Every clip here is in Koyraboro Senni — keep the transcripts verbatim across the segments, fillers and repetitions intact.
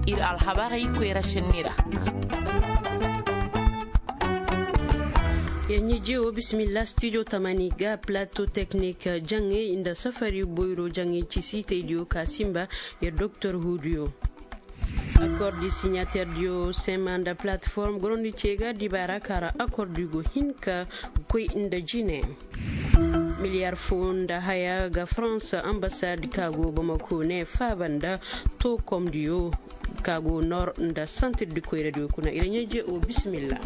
Ir alhabarey koyra šenni ra. Yaŋ ɲeje wo bisimilla studio tamani ga plateau technique jaŋey nda safari boyro jaŋey ci siitaydiyo ka simba. Yer doktor huudiyo. Accord di signateur diyo sema nda plateforme gorondi ce ga dibaara ka ra accord di go hin ka koy nda jine. Miliyar fo nda haya ga farans ambassade ka go bamako ne faaba nda tookomdiyo ka go nor nda santir di koyradiyo kuna ira ɲeje o bisimilla.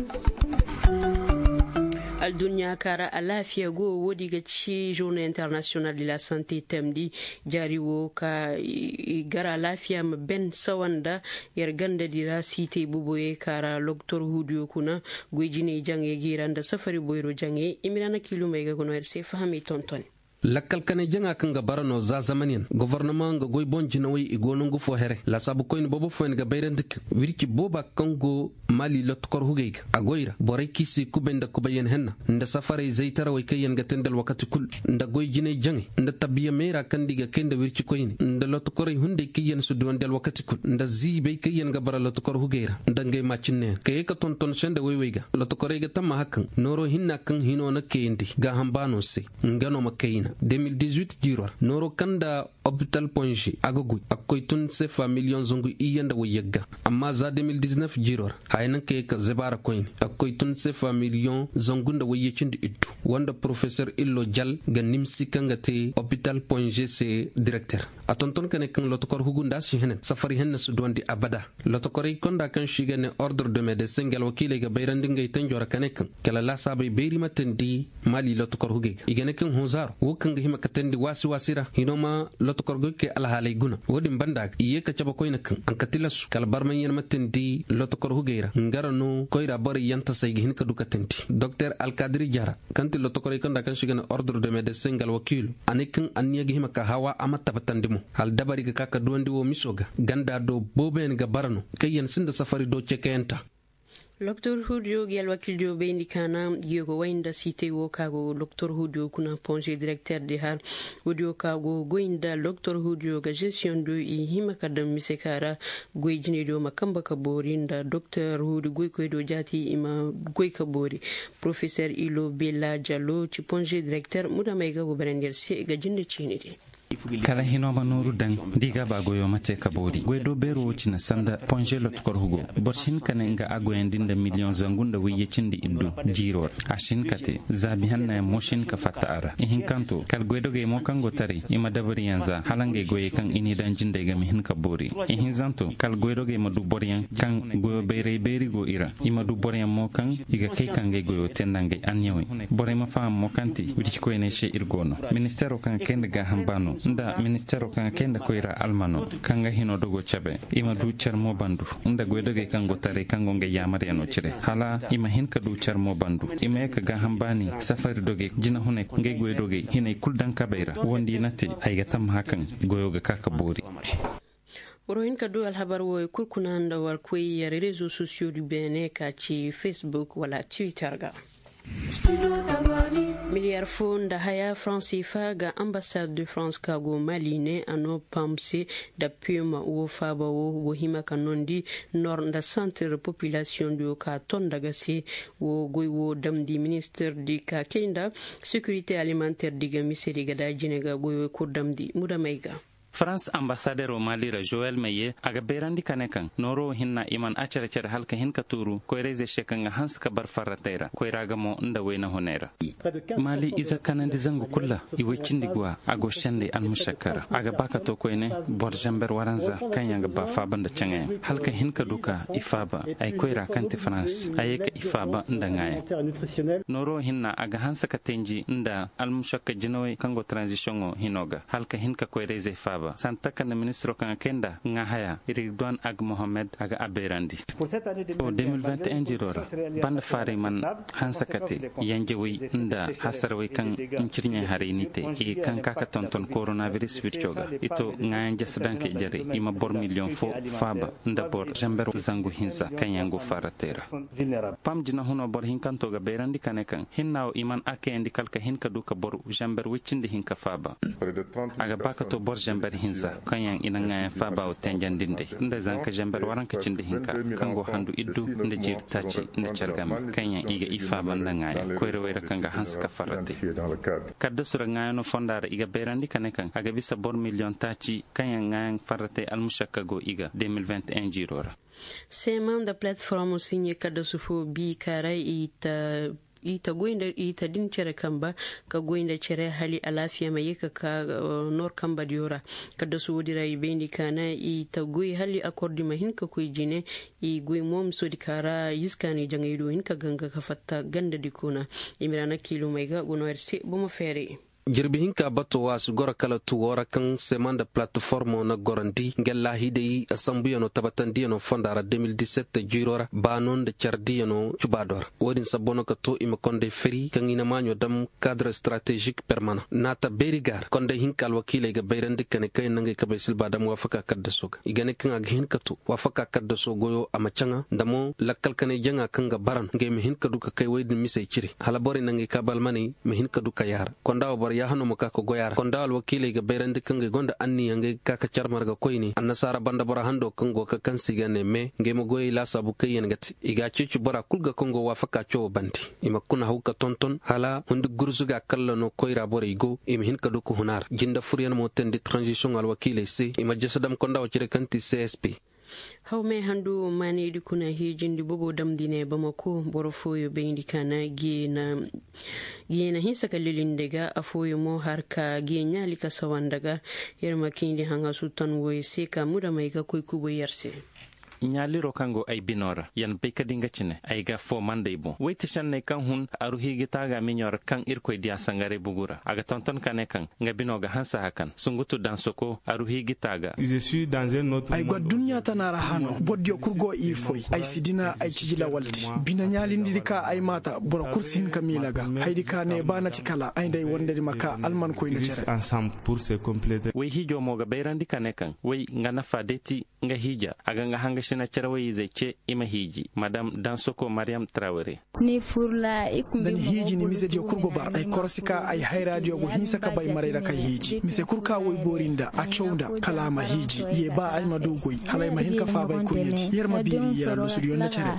Alduɲɲa ka ra alaafiya go woodi ga ci journée internationale de la santé temdi jaari wo ka i gar alaafiya ma ben sawa nda yer gandadi ra siitay boboyey ka ra loktor huudiyo kuna goy jinay jaŋey ga i ra nda safari boyro jaŋey i ma ra na kiilumey ga ga no yer se fahamey tontoni. Lakkal kanay jaŋa kaŋ ga bara no za zamanyaŋ gofornamaŋ ga goy boŋ jinawey i go nongu fo here laasaabu koyne boobo fooyaŋ ga bayrandi kaŋ wirci booba kaŋ go maali lotokor hugey ga a goy ra borey kaŋ i se kubay nda kubayyaŋ henna nda safarey zaytarawey kaŋ yaŋ ga te nda alwakati kul nda goy jinay jaŋey nda tabiya meera kaŋ nda i ga kay nda wirci koyne nda lotokorey hunday kaŋ yaŋ si duwandi alwakati kul nda ziibey kaŋ yaŋ ga bara lotokor hugey ra nda ngey maacinneyaŋ ka ye ka tonton sende woy-wey ga lotokorey ga tammaha kaŋ nooro hinna kaŋ hino na kayandi gaaham baano se nga no ma kayna de mil dix-huit jiiro ra nooro kaŋ nda opital ponže a ga goy a ga koy tun sefa miliyoŋ zangu iyye nda wayyagga amma za de mil dix-neuf jiiro ra haya naŋ ka ye ka zebaara koyne a ga koy tun sefa miliyoŋ zangu nda wayye cindi iddu wanda porofesor illo jal ga nimsi kaŋ ga te opital ponže se direkter a tonton ka ne kaŋ lotokor hugu nda a si henen safari henna si duwandi abada lotokorey konda kaŋ se i ga ne ordre de medesin nga alwakiiley ga bayrandi ngey tanjo ra ka ne kaŋ kala laasaabey bayri ma teendi maali lotokor hugey ga i ga ne kaŋ hunzaaro wo kaŋ ga hima ka teendi waasi-waasi ra hino ma lotokor goykey alhaaley guna wo-din banda ga i ye ka cabe koyne kaŋ a ga tilasu kala barmayaŋ ma teendi lotokor hugey ra nga ra no koyra borey yaŋ tasay ga hin ka du ka teendi doktor alkadiri jara kaŋ ti lotokorey konda kaŋ se i ga ne ordre de medesin nga alwakiilo a ne kaŋ anniya ga hima ka hawa a ma tabbatandi mo hala dabari ga ka ka duwandi wo miso ga ganda do booboyaŋ ga bara no kaŋ yaŋ sinda safari do cekayanta. Loktor huudiyo ga alwakildiyo bayndi kaana, yogo way nda siitay wo ka go loktor huudiyo kuna ponse direkter di har. Woodiyo ka go goy nda loktor huudiyo ga gestiyoŋ do i hima ka daŋ mise ka ra. Goy jinaydiyo ma kamba ka boori nda doktor huudi goykoydiyo jaati i ma goy ka boori. Porofeser ilo bela jalo ci ponse direkter mudamey ga go barandi yer se ga jinde ciini di. Kala hino ma nooru daŋ da i ga ba goyo ma te ka boori goy do beero wo cine sanda ponze lotkor hugo. Boro si hin ka ne nga a goyandi nda miliyoŋ zangu nda wayye cindi iddu jiiro ra. A si hin ka te zaabi hannayaŋ mo si hin ka fatta a ra ihinkanto kala goydogey mo kaŋ go taray i ma dabariyaŋ za hala ngey goyey kaŋ i n'i daŋ jindey ga ma hin ka boori. Ihinzanto kala goydogey ma du boroyaŋ kaŋ goyo bayray beeri go i ra. I ma du boroyaŋ mo kaŋ i ga kay ka ngey goyo te nda ngey anniya wey. Borey ma faham mo kaŋ ti wircikoyney se ir go no. Ministeero kaŋ ga kay nda gaaham baano nda ministeero kaŋ ga kay nda koyra almano kaŋ ga hino dogo cabe. I ma du car mo bandu nda goydogey kaŋ go taray kaŋ go ngey yaamaryaŋo cire hala i ma hin ka du car mo bandu. I ma ye ka gaaham baani safari dogey jinahuney ngey goydogey hinay kul daŋ kabey ra wondi na te. Ay ga tammaha kaŋ goyo ga ka ka boori. Boro hin ka du alhabar wooyo kul kuna nda war koy yer rezo sosiyo di beene ka ci facebook wala twitter ga. Miliyar fo nda haya faransi fa ga ambasad de farans ka go mali ne a no pamse da pema wo faaba wo go hima ka nondi nor nda santir popilasiyoŋ diyo ka ton daga se. Wo goy wo damndi ministir di ka kay nda sekirite alimanter di ga mise di ga da jine ga goy wo kul damndi mudamey ga. Farans ambasadero mali ra joel meye a ga bayrandi ka ne kaŋ nooro wo hinna i mana a care care hala ka hin ka tuuru koyrayzey se kaŋ ga hanse ka bar farratey ra koyra ga mo nda wayna hunay ra. Mali ize kanandi zangu kul ra i way cindi guwa a go sendey almušakka ra a ga ba ka to koyne. Boro zamber waranza kaŋ yaŋ ga ba faaba nda caŋayaŋ hala ka hin ka du ka i faaba ay koyra kaŋ ti farans a ye ka i faaba nda ŋaayaŋ. Nooro wo hinna a ga hanse ka tenji nda almušakka jinawey kaŋ go tranzisiyoŋo hino ga hala ka hin ka koyrayzey faaba sanda taka nda ministiro kaŋ a kay nda ŋaa haya ridwan ag mohammed a ga a beerandi. Wo de mil vingt et un jiro ra banda faaray man hanse ka te yanjawey nda hasarawey kaŋ ncirɲey haray n'i te i kaŋ ka ka tonton koronabiris wirco ga i to ŋaayaŋ jasa daŋ kay jarey i ma boro miliyoŋ fo faaba nda boro zamber zangu hinsa kaŋ yaŋ go faaratey ra. Pam jinahuno boro hinkanto ga bayrandi ka ne kaŋ hinna wo i man a kayandi kala ka hin ka du ka boro zamber woy cindi hinka faaba. A ga ba ka to boro zamber Hinza kaŋ yaŋ i na ŋaayaŋ faaba wo tenjandi nd'ey nda zanka zember waranka cindi hinka, kaŋ go handu iddu nda jiiri taaci nda care game, kaŋ yaŋ i ga i faaba nda ŋaayaŋ koyrawey ra kaŋ ga hanse ka farratey. Kaddasu ra ŋaayaŋo fonda ra i ga bayrandi ka ne kaŋ a ga bisa boro miliyoŋ taaci kaŋ yaŋ ŋaayaŋ farratey almušakka go i ga de mil vingt et un jiiro ra. Seema nda platform siɲe kaddasu fo bi ka ra i ta i ta goy nda i ta din cere kamba ka goy nda cere hali alaafiya ma ye ka ka nor kamba diyo ra. Kaddasu woodi ra i bayndi ka na i ta goy hali akordi ma hin ka koy jine. I goy mo misoodi ka ra iskaani jaŋay do hin ka ganga ka fatta ganda di kuna. I ma ra na kiilumey ga go no ir se bomo feere. Jirbi hinka bato wo a si goro kala tuwo ra kaŋ seema nda platformo na gorandi nga laahidey sambuyanoo tabatandiyano fonda ra de mil disept jiiro ra baano nda cardiyano cubaado ra. Wo-din sabbo no ka to i ma kondey fari kaŋ i na maaɲo dam kadre stratezik permana naata beeri ga ra kondey hinka alwakiiley ga bayrandi ka ne kaŋ yaŋ na ngey kabey silba dam waafaka kaddaso ga i ga ne kaŋ a ga hin ka to waafaka kaddaso goyo a ma caŋa nda mo lakkal kanay jaŋa kaŋ ga baran ngey ma hin ka du ka kay woy din misey cire hala borey na ngey kaaba almaney ma hin ka du ka yaara. Konda wo boro yaahanoo ma ka ka goy a ra konda alwakiiley ga bayrandi kaŋ ga ay gonda anniya ngey ga ka ka care marga koyne annasaara banda boro hando kaŋ go ka kaŋ se i ga ne me ngey ma goyey laasaabu kaŋ yaŋ ga te i ga a ceeci bora kul ga kaŋ go waafaka cawoo bande. I ma kuna haw ka tonton hala hundi gurzuga kalla no koyra borey go i ma hin ka du ka hun a ra jinde furyaŋ mo teendi taranzisiyoŋ alwakiiley se i ma jese dam konda wo cire kaŋ ti csp. Hawmey handu maanaydi kuna hiijindi bobo damndi ne bamako boro fooyo bayndi ka na geena hinsa ka lilindi ga afooyo mo har ka gee ɲaali ka sawandi ga. Yer ma kayndi haŋasu tan woy se ka mudamey ga koy kubay yer se. Ɲaaliro kaŋ go ay bino ra yan bay ka di nga cine ay ga foo manday boŋ woy ti senney kaŋ hun aru hiiji taaga miɲo ra kaŋ irkoy diya sangaray bugu ra a ga tonton ka ne kaŋ nga bino ga hanse hakan sungutu dansoko aru hiiji taaga. Ay go adduɲɲa tana ra hano boro diyo kul go i foy ay si dina ay ciji lawaldi bine ɲaalindidi ka ay maata boro kul si hin ka miila ga haydi ka ne ba na ci kala ay nda ay wandedi ma ka almankoy nda cere. Way hiijo mo ga bayrandi ka ne kaŋ way nga nafa day ti nga hiija a ga nga hangasina cere way izey ce i ma hiiji madam dansoko mariyam trawere. Nda ni hiiji ni misediyo kul go bar ay korosi ka ay hayraadiyo go hinsa ka bay maray ra kay hiiji mise kul ka woy boori nda a caw nda kala a ma hiiji ye ba ay ma du goy hala ay ma hin ka faabay kurɲedi yer ma biiri yer allusudiyo nda cere.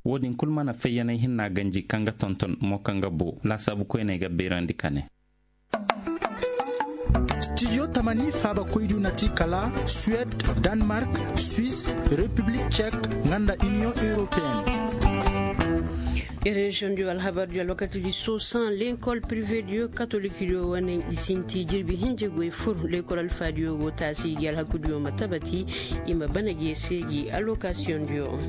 Wo-din kul mana fayyanay hinna ganji kaŋ ga tonton mo kaŋ ga bo laasaabu koyney ga bayrandi ka ne. Studio tamani faaba koydu na ti kala suwed, danmark, swis, repiblik cek, nga nda iniyoŋ europeen. Reziyoŋ diyo alhabar diyo alwakati di sosan lenkol prive diyo katolik diyo wane i sinti jirbi hinje goy fur lenkol alfa diyo go taasi gi alhaku diyo ma tabati i ma bana gi ese gi alokasiyoŋ diyo.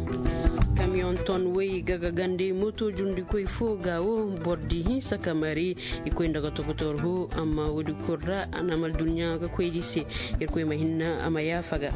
Kamiyoŋ ton woy gaga gande moto jundi koy fo ga wo boro di hinsa ka mari i koy nda ga tokotor ho amma woodi kul ra a na amal duɲɲa ga koy di se. Irkoy ma hinna a ma yaafa ga.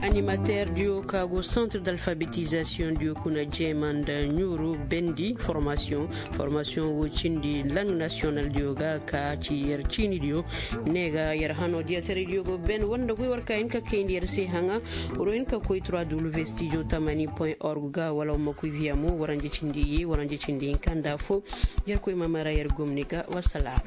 Animater diyo ka go centre d'alphabetizasiyoŋ diyo kuna jeema nda ɲuuru bendi formasiyoŋ. Formasiyoŋ wo cindi lang nasiyonal diyo ga ka ci yer ciini diyo ne ga yer hano diya taray diyo go ben war nda goy war ka hin ka kayndi yer se haŋa. War wo hin ka koy trois w studio tamani point org ga wala war ma koy via mo waranje cindi ye waranje cindi hinka nda fo. Yer koy ma mara yer gomni ga wasalaam.